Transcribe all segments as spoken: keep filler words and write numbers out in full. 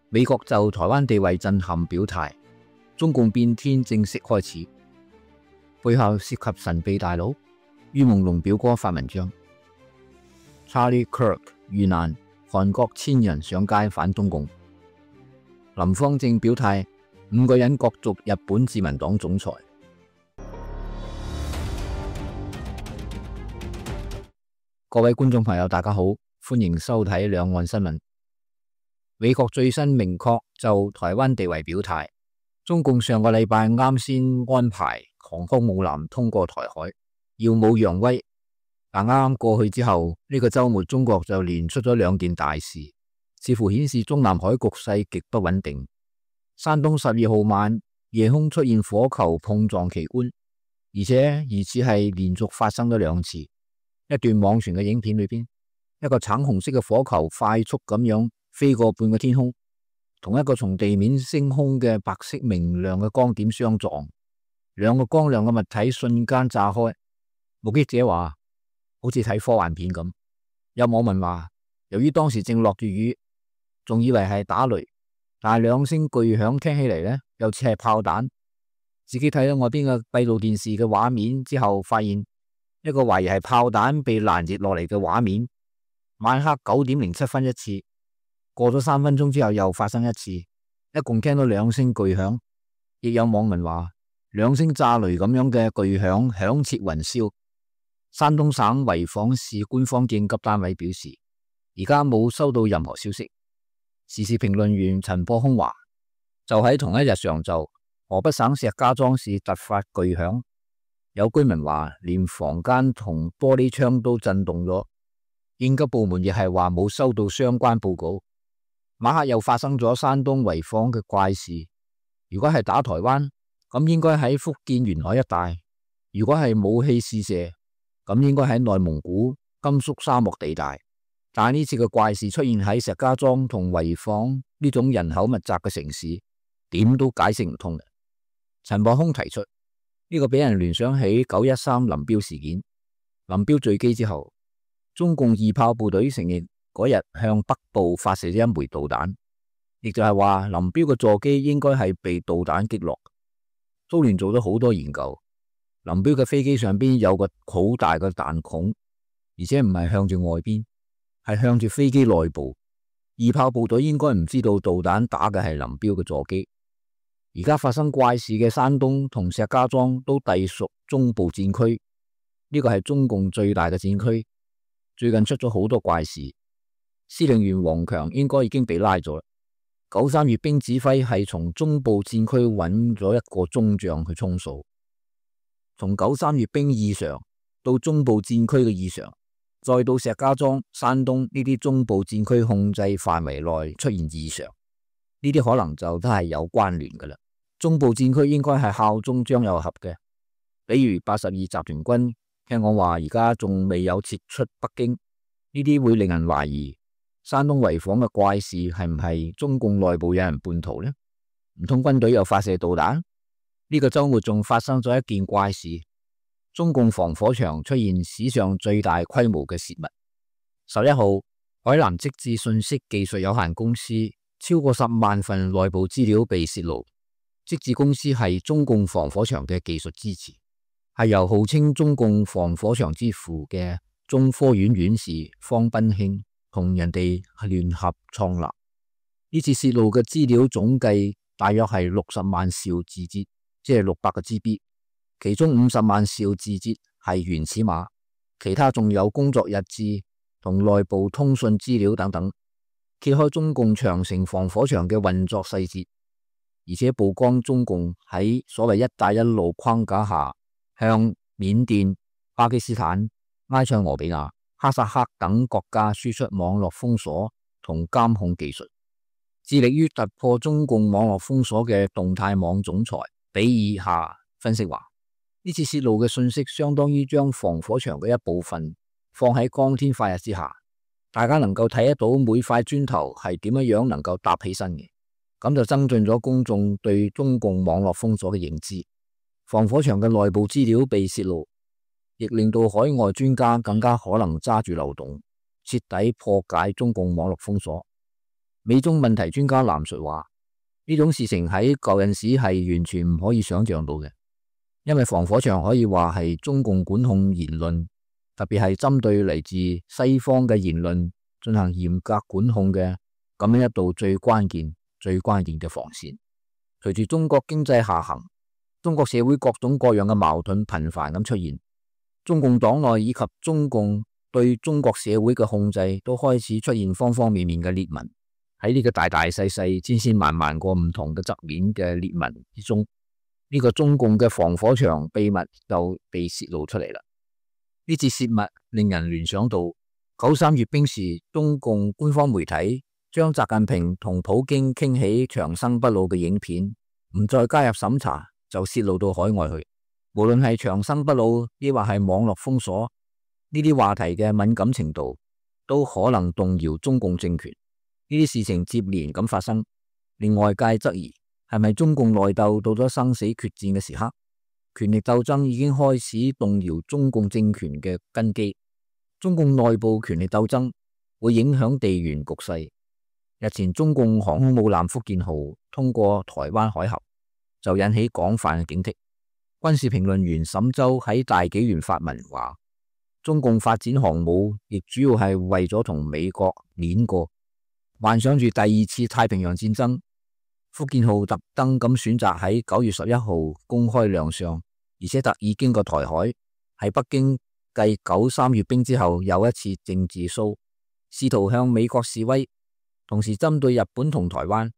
美國就台灣地位震撼表態，中共變天正式開始。背後涉及神秘大佬，于朦朧表哥發文章。Charlie Kirk 遇難，韓國千人上街反中共。林芳正表態，五個人角逐日本自民黨總裁。各位觀眾朋友，大家好，歡迎收睇兩岸新聞。美國最新明確就台灣地位表態，中共上個禮拜啱先安排航空母艦通過台海，耀武揚威。但啱啱過去之後，呢個週末中國就連出咗兩件大事，似乎顯示中南海局勢極不穩定。山東十二號晚夜空出現火球碰撞奇觀，而且疑似係連續發生咗兩次。一段網傳嘅影片裏邊，一個橙紅色嘅火球快速咁樣飛過半個天空，同一個從地面升空嘅白色明亮嘅光點相撞，兩個光亮嘅物體瞬間炸開。目擊者話好似睇科幻片咁。有網民話，由於當時正落住雨，仲以為係打雷，但係兩聲巨響聽起嚟呢，又似係炮彈。自己睇到外邊嘅閉路電視嘅畫面之後，發現一個懷疑係炮彈被攔截落嚟嘅畫面。晚黑九點零七分一次，過咗三分鐘之後又發生一次，一共聽到兩聲巨響。亦有網民話，兩聲炸雷咁樣嘅巨響響徹雲霄。山東省濰坊市官方應急單位表示，而家冇收到任何消息。時事評論員陳博空話，就喺同一日上晝，河北省石家莊市突發巨響，有居民話連房間同玻璃窗都震動咗。應急部門亦係話冇收到相關報告。晚黑又發生咗山東濰坊嘅怪事。如果係打台灣，咁應該喺福建沿海一帶；如果係武器試射，咁應該喺內蒙古、甘肅沙漠地帶。但係呢次嘅怪事出現喺石家莊同濰坊呢種人口密集嘅城市，點都解釋唔通嘅。陳博空提出呢、這個俾人聯想起九一三林彪事件。林彪墜機之後，中共二炮部隊承認嗰日向北部發射咗一枚導彈，亦就係話林彪嘅座機應該係被導彈擊落。蘇聯做咗好多研究，林彪嘅飛機上邊有個好大嘅彈孔，而且唔係向住外邊，係向住飛機內部。二炮部隊應該唔知道導彈打嘅係林彪嘅座機。而家發生怪事嘅山東同石家莊都隸屬中部戰區，呢個係中共最大嘅戰區。最近出咗好多怪事，司令員王強應該已經被拉咗。九三閱兵指揮係從中部戰區揾咗一個中將去充數。從九三閱兵異常到中部戰區嘅異常，再到石家莊、山東呢啲中部戰區控制範圍內出現異常，呢啲可能就都係有關聯噶啦。中部戰區應該係效忠張又俠嘅，比如八十二集團軍，聽講話而家仲未有撤出北京，呢啲會令人懷疑山東濰坊嘅怪事係唔係中共內部有人叛徒呢？唔通軍隊又發射導彈？呢個周末仲發生咗一件怪事，中共防火牆出現史上最大規模嘅洩密。十一號，海南積智信息技術有限公司超過十萬份內部資料被洩露。積智公司係中共防火牆嘅技術支持，係由號稱中共防火牆之父嘅中科院院士方斌興同人哋聯合創立。呢次洩露嘅資料總計大約係六十萬兆字節，即係六百個 G B， 其中五十萬兆字節係原始碼，其他仲有工作日誌同內部通訊資料等等，揭開中共長城防火牆嘅運作細節，而且曝光中共喺所謂一帶一路框架下向緬甸、巴基斯坦、埃塞俄比亞、哈薩克等國家輸出網絡封鎖同監控技術，致力於突破中共網絡封鎖嘅動態網總裁比爾夏分析話，呢次洩露嘅信息相當於將防火牆嘅一部分放喺光天化日之下，大家能夠睇得到每塊磚頭係點樣樣能夠搭起身嘅。咁就增進咗公眾對中共網絡封鎖嘅認知。防火牆嘅內部資料被洩露，亦令到海外專家更加可能揸住漏洞，徹底破解中共網絡封鎖。美中問題專家藍述話，呢種事情喺舊陣時係完全唔可以想象到嘅，因為防火牆可以話係中共管控言論，特別係針對嚟自西方嘅言論進行嚴格管控嘅咁樣一道最關鍵、最關鍵嘅防線。隨住中國經濟下行，中國社會各種各樣嘅矛盾頻繁咁出現，中共黨內以及中共對中國社會嘅控制都開始出現方方面面嘅裂紋。喺呢個大大細細、千千萬萬個唔同嘅側面嘅裂紋之中，呢個中共嘅防火牆秘密就被泄露出嚟啦。呢次泄密令人聯想到九三閱兵時，中共官方媒體將習近平同普京傾起長生不老嘅影片唔再加入審查，就泄露到海外去。無論係長生不老，抑或係網絡封鎖，呢啲話題嘅敏感程度都可能動搖中共政權。呢啲事情接連咁發生，令外界質疑係咪中共內鬥到咗生死決戰嘅時刻，權力鬥爭已經開始動搖中共政權嘅根基。中共內部權力鬥爭會影響地緣局勢。日前中共航空母艦福建號通過台灣海峽，就引起廣泛嘅警惕。軍事評論員沈周喺大紀元發文話，中共發展航母亦主要係為咗同美國碾過，幻想住第二次太平洋戰爭。福建號特登咁選擇喺九月十一號公開亮相，而且特意經過台海，喺北京繼九三閱兵之後又一次政治 show， 試圖向美國示威，同時針對日本同台灣。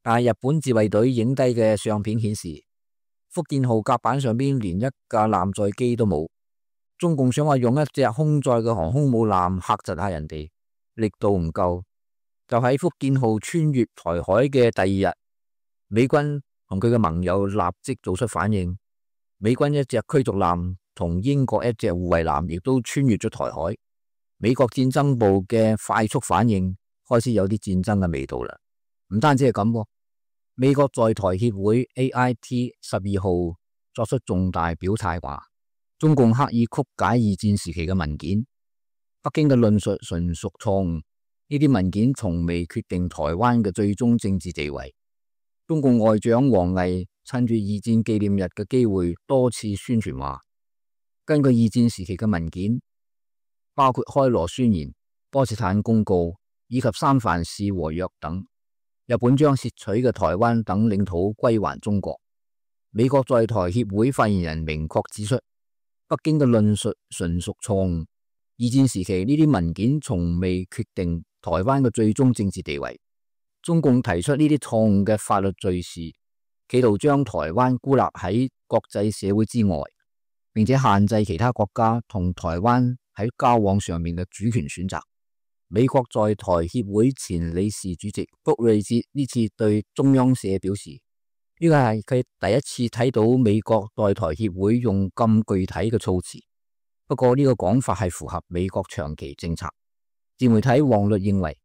但係日本自衛隊影低嘅相片顯示，福建號甲板上邊連一架艦載機都冇。中共想話用一隻空載嘅航空母艦嚇窒下人哋，力度唔夠。就喺福建號穿越台海嘅第二日，美軍同佢嘅盟友立即做出反應。美軍一隻驅逐艦同英國一隻護衛艦亦都穿越咗台海。美國戰爭部嘅快速反應開始有啲戰爭嘅味道啦。唔單止係咁，美國在台協會 A I T 十二號作出重大表態，話中共刻意曲解二戰時期嘅文件，北京嘅論述純屬錯誤。呢啲文件從未決定台灣嘅最終政治地位。中共外長王毅趁住二戰紀念日嘅機會多次宣傳話，根據二戰時期嘅文件，包括開羅宣言、波茨坦公告以及三藩市和約等，日本將竊取嘅台灣等領土歸還中國。美國在台協會發言人明確指出，北京嘅論述純屬錯誤。二戰時期呢啲文件從未決定台灣嘅最終政治地位。中共提出呢啲錯誤嘅法律敘事，企圖將台灣孤立喺國際社會之外，並且限制其他國家同台灣喺交往上面嘅主權選擇。美國在台協會前理事主席福瑞哲呢次對中央社表示，呢個係佢第一次睇到美國在台協會用咁具體嘅措辭。不過呢個講法係符合美國長期政策。自媒體黃律認為，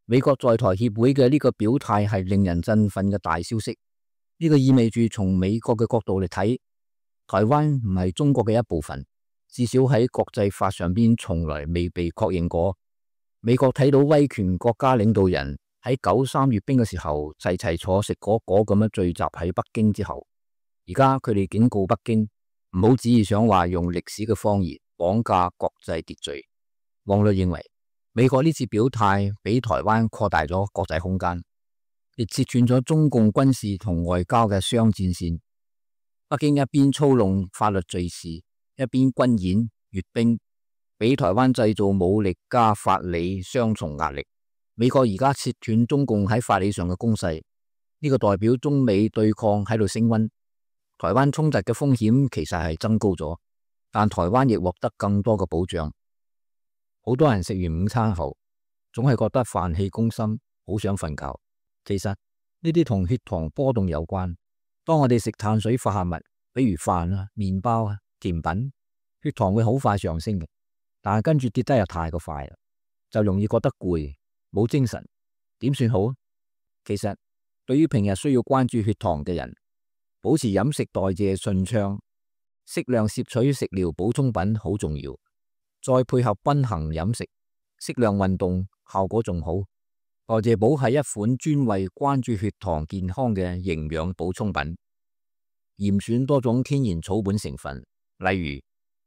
美國在台協會嘅呢個表態係令人振奮嘅大消息。呢個意味住從美國嘅角度嚟睇，台灣唔係中國嘅一部分，至少喺國際法上邊從來未被確認過。美國睇到威權國家領導人喺九三閱兵嘅時候齊齊坐食果果咁樣聚集喺北京之後，而家佢哋警告北京唔好旨意想話用歷史嘅謊言綁架國際秩序。王律認為，美國呢次表態俾台灣擴大咗國際空間，亦切斷咗中共軍事同外交嘅雙戰線。北京一邊操弄法律敘事，一邊軍演閱兵，俾台灣製造武力加法理雙重壓力。美國而家切斷中共喺法理上嘅攻勢，呢個代表中美對抗喺度升溫，台灣衝突嘅風險其實係增高咗，但台灣亦獲得更多嘅保障。好多人食完午餐後，總係覺得飯氣攻心，好想瞓覺。其實呢啲同血糖波動有關。當我哋食碳水化合物，比如飯啊、麵包啊、甜品，血糖會好快上升嘅，但係跟住跌得又太過快啦，就容易覺得攰，冇精神。點算好？其實對於平日需要關注血糖嘅人，保持飲食代謝順暢，適量攝取食療補充品好重要。再配合均衡飲食，適量運動，效果仲好。代謝寶係一款專為關注血糖健康嘅營養補充品，嚴選多種天然草本成分，例如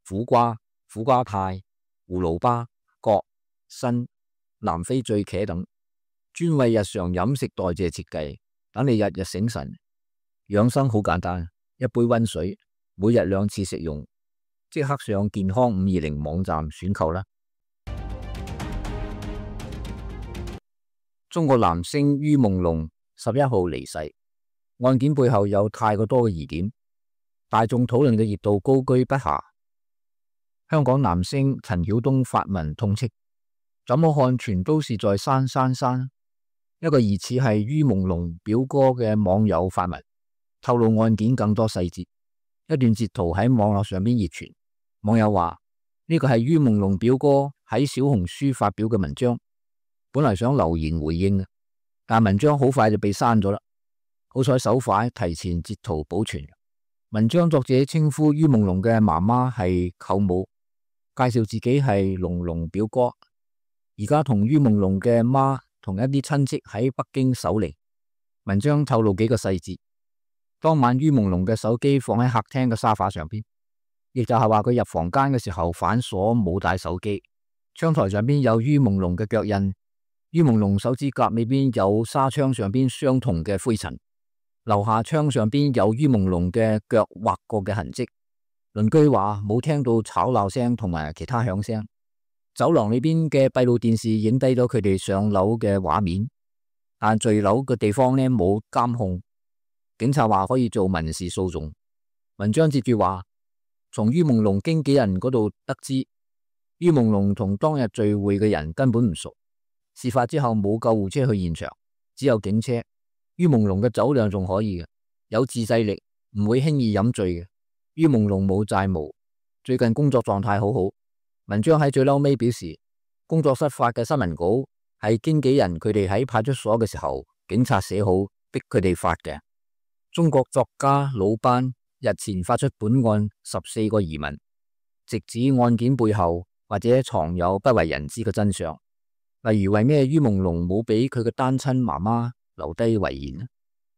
苦瓜、苦瓜肽、葫蘆巴、葛、參、南非醉茄等，專為日常飲食代謝設計，等你日日醒神。養生好簡單，一杯溫水，每日兩次食用，即刻上健康五二零網站選購啦。中國男星于夢龍十一號離世，案件背後有太過多嘅疑點，大眾討論嘅熱度高居不下。香港男星陳曉東發文痛斥：怎麼看全都是在刪刪刪。一個疑似係于夢龍表哥嘅網友發文，透露案件更多細節。一段截圖喺網絡上邊熱傳，網友話呢個係于夢龍表哥喺小紅書發表嘅文章。本來想留言回應，但文章好快就被刪咗啦。好彩手快提前截圖保存。文章作者稱呼于夢龍嘅媽媽係舅母，介紹自己係龍龍表哥。而家同于夢龍嘅媽同一啲親戚喺北京守靈。文章透露幾個細節：當晚于夢龍嘅手機放喺客廳嘅沙發上邊，亦就係話佢入房間嘅時候反鎖冇帶手機。窗台上邊有于夢龍嘅腳印。于夢龍手指甲尾邊有紗窗上邊相同嘅灰塵，樓下窗上邊有于夢龍嘅腳劃過嘅痕跡。鄰居話冇聽到吵鬧聲同埋其他響聲。走廊裏邊嘅閉路電視影低咗佢哋上樓嘅畫面，但墜樓嘅地方呢冇監控。警察話可以做民事訴訟。文章接住話，從于夢龍經紀人嗰度得知，于夢龍同當日聚會嘅人根本唔熟。事發之後冇救護車去現場，只有警車。于夢龍嘅酒量仲可以嘅，有自制力，唔會輕易飲醉嘅。于夢龍冇債務，最近工作狀態好好。文章喺最嬲尾表示，工作室發嘅新聞稿係經紀人佢哋喺派出所嘅時候，警察寫好逼佢哋發嘅。中國作家魯班日前發出本案十四個疑問，直指案件背後或者藏有不為人知嘅真相。例如為咩于夢龍冇俾佢嘅單親媽媽留低遺言呢？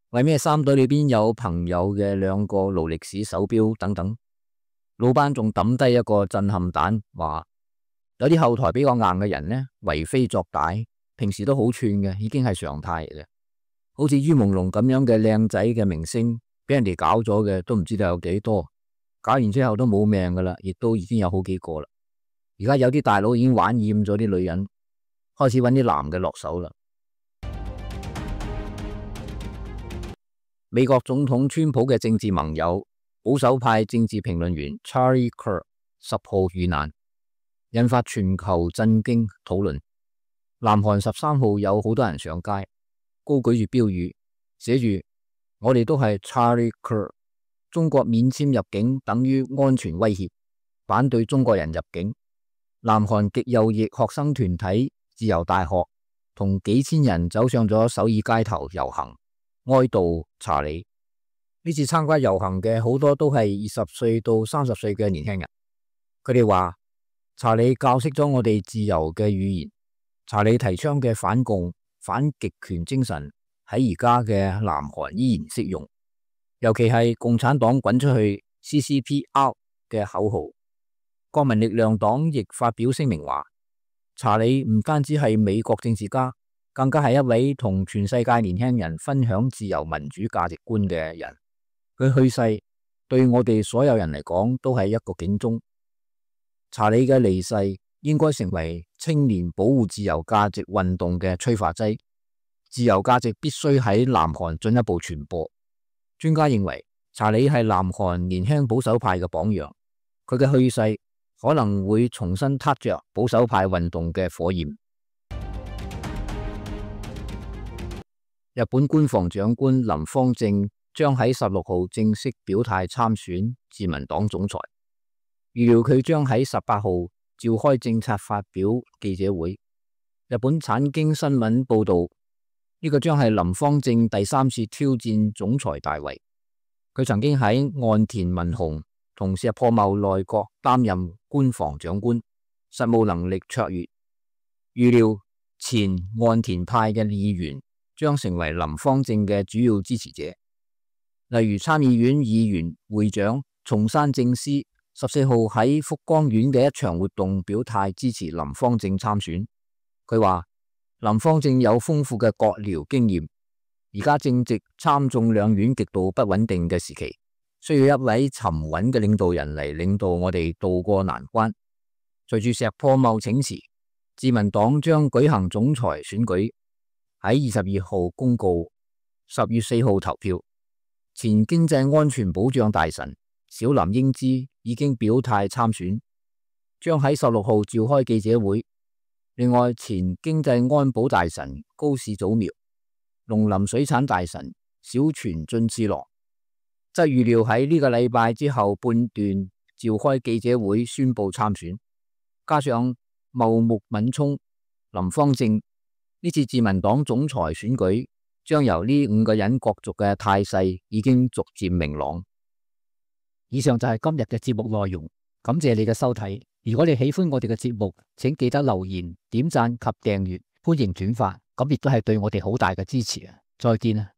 為咩衫袋裏邊有朋友嘅兩個勞力士手錶等等？魯班仲抌低一個震撼彈，話有啲後台比較硬嘅人呢，為非作歹，平時都好串嘅，已經係常態嚟嘅。好似于夢龍咁樣嘅靚仔嘅明星，俾人哋搞咗嘅都唔知道有幾多，搞完之後都冇命噶啦，亦都已經有好幾個啦。而家有啲大佬已經玩厭咗啲女人，開始揾啲男嘅落手啦。美國總統川普嘅政治盟友、保守派政治評論員 Charlie Kirk 十號遇難，引發全球震驚討論。南韓十三號有好多人上街，高舉住標語，寫住我哋都係 Charlie Kirk， 中國免簽入境等於安全威脅，反對中國人入境。南韓極右翼學生團體自由大學同幾千人走上咗首爾街頭遊行，哀悼查理。呢次參加遊行嘅好多都係二十歲到三十歲嘅年輕人，佢哋話查理教識咗我哋自由嘅語言，查理提倡嘅反共反極權精神喺而家嘅南韓依然適用，尤其係共產黨滾出去 C C P out 嘅口號。國民力量黨亦發表聲明話，查理唔單止係美國政治家，更加係一位同全世界年輕人分享自由民主價值觀嘅人。佢去世對我哋所有人嚟講都係一個警鐘。查理嘅離世應該成為青年保護自由價值運動嘅催化劑，自由價值必須喺南韓進一步傳播。專家認為查理係南韓年輕保守派嘅榜樣，佢嘅去世可能會重新撻着保守派運動嘅火焰。日本官房長官林芳正將喺十六號正式表態參選自民黨總裁，預料佢將喺十八號召開政策發表記者會。日本產經新聞報道，呢個將係林芳正第三次挑戰總裁大位。佢曾經喺岸田文雄同石破茂內閣擔任官房長官，實務能力卓越。預料前岸田派嘅議員將成為林芳正嘅主要支持者，例如參議院議員會長松山正司十四號喺福光縣嘅一場活動表態支持林芳正參選。佢話林芳正有豐富嘅閣僚經驗，而家正值參眾兩院極度不穩定嘅時期，需要一位沉穩嘅領導人嚟領導我哋渡過難關。隨住石破茂請辭，自民黨將舉行總裁選舉，喺二十二號公告，十月四號投票。前經濟安全保障大臣小林英姿已經表態參選，將喺十六號召開記者會。另外，前經濟安保大臣高市早苗、農林水產大臣小泉進次郎則預料喺呢個禮拜之後半段召開記者會宣布參選。加上茂木敏充、林芳正，呢次自民黨總裁選舉將由呢五個人角逐嘅態勢已經逐漸明朗。以上就係今日嘅節目內容，感謝你嘅收睇。如果你喜歡我哋嘅節目，請記得留言、點讚及訂閱，歡迎轉發，咁亦都係對我哋好大嘅支持啊！再見啊！